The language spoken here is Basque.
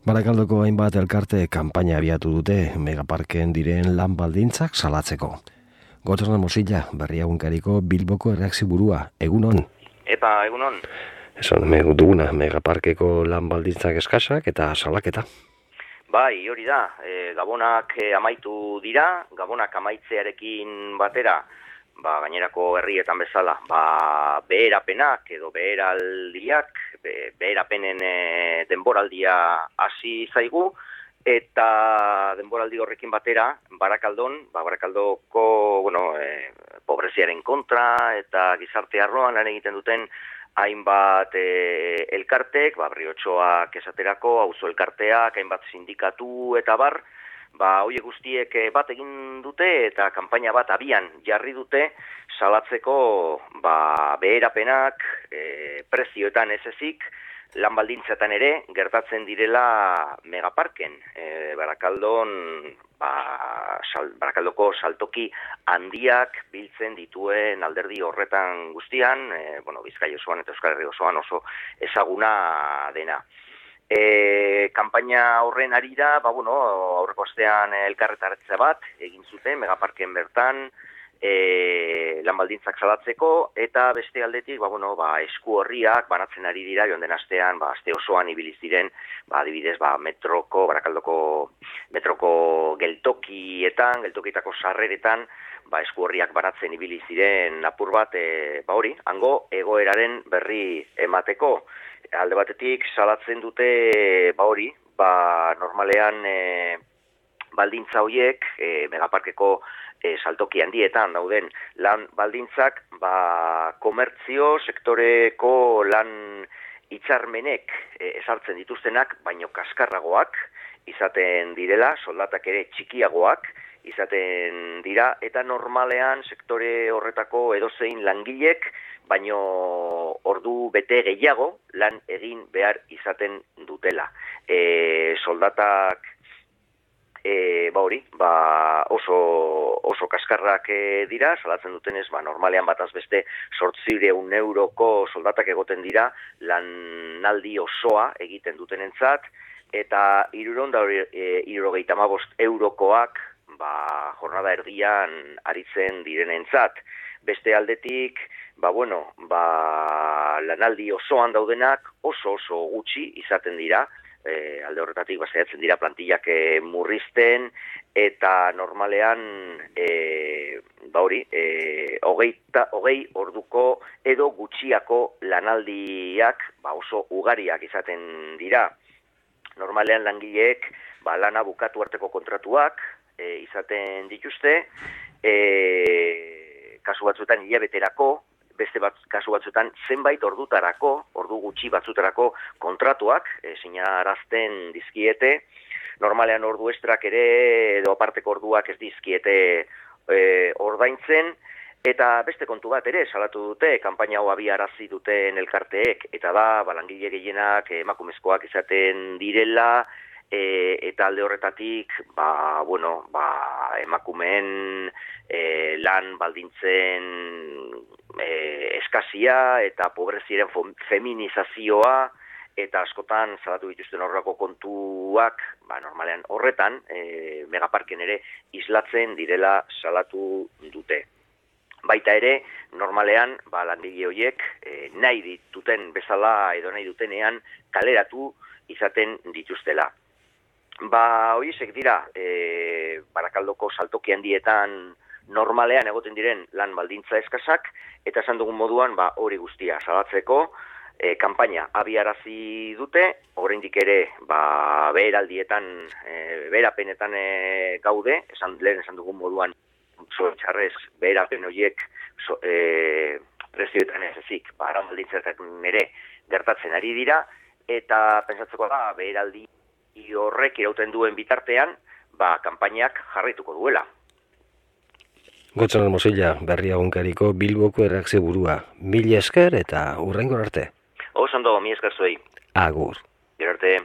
Barakaldoko hainbat elkarte kanpaina abiatu dute megaparken diren lan baldintzak salatzeko. Gotzerna Mosilla, Berri Egunkariko Bilboko erreakziburua, egunon. Eta egunon. Esan duguna, megaparkeko lan baldintzak eskasak eta salaketa. Bai, hori da, gabonak amaitu dira, gabonak amaitzearekin batera, gainerako herrietan bezala, beherapenak edo beheraldiak, beherapenen denboraldia hasi zaigu, eta denboraldi horrekin batera, Barakaldoko, pobreziaren kontra eta gizarte arloan lan egiten duten hainbat elkartek, Berriotxoak esaterako, auzo elkarteak, hainbat sindikatu eta bar, horiek guztiek bat egin dute eta kanpaina bat abian jarri dute salatzeko beherapenak prezioetan ez ezik, lan baldintzetan ere gertatzen direla megaparken. Barakaldoko saltoki handiak biltzen dituen alderdi horretan guztian, Bizkaia osoan eta Euskal Herria osoan oso ezaguna dena. Kanpaina horren arira, aurreko astean elkarretaratze bat egin zuten megaparken bertan, lan baldintzak salatzeko, eta beste aldetik, esku horriak banatzen ari dira, joan den astean, aste osoan ibiliz diren, adibidez, Barakaldoko metroko geltokietako sarreretan, esku horriak banatzen ibili ziren apur bat, hango egoeraren berri emateko. Alde batetik salatzen dute, normalean baldintza horiek, megaparkeko saltoki handietan dauden lan baldintzak, komertzio sektoreko lan hitzarmenek ezartzen dituztenak, baino kaskarragoak izaten direla, soldatak ere txikiagoak izaten dira, eta normalean sektore horretako edozein langilek, baino ordu bete gehiago lan egin behar izaten dutela. Soldatak oso kaskarrak dira, salatzen dutenez, normalean bataz beste 800 euroko soldatak egoten dira lanaldi osoa egiten dutenentzat, eta 375 eurokoak jornada erdian aritzen direnentzat. Beste aldetik, lanaldi osoan daudenak oso gutxi izaten dira, alde horretatik saiatzen dira plantillak murrizten, eta normalean hogei orduko edo gutxiako lanaldiak oso ugariak izaten dira. Normalean langileek lana bukatu arteko kontratuak izaten dituzte, kasu batzuetan hilabeterako, beste kasu batzuetan zenbait ordu gutxi batzutarako kontratuak sinarazten dizkiete. Normalean ordu estrak ere edo aparteko orduak ez dizkiete ordaintzen, eta beste kontu bat ere salatu dute, kanpaina hau abiarazi duten elkarteek, eta da langile gehienak emakumezkoak izaten direla, eta alde horretatik emakumeen lan baldintzen eskazia eta pobreziaren feminizazioa, eta askotan salatu dituzten horrako kontuak, normalean horretan, megaparken ere islatzen direla salatu dute. Baita ere, normalean, langile horiek nahi dituten bezala edo nahi dutenean kaleratu izaten dituztela. Horiek dira, Barakaldoko saltoki handietan normalean egoten diren lan baldintza eskasak, eta esan dugun moduan hori guztia salatzeko kanpaina abiarazi dute, oraindik ere beheraldietan, beherapenetan gaude, lehen esan dugun moduan txarrez beherapen horiek prezioetan ez ezik, lan baldintzetan ere gertatzen ari dira, eta pentsatzeko da beheraldi horrek irauten duen bitartean, kanpainak jarraituko duela. Gotzerna Mosilla, Berri Egunkariko Bilboko erreakzioburua. Mila esker eta hurrengora arte. Oso ondo, mila esker zuei. Agur. Gero arte.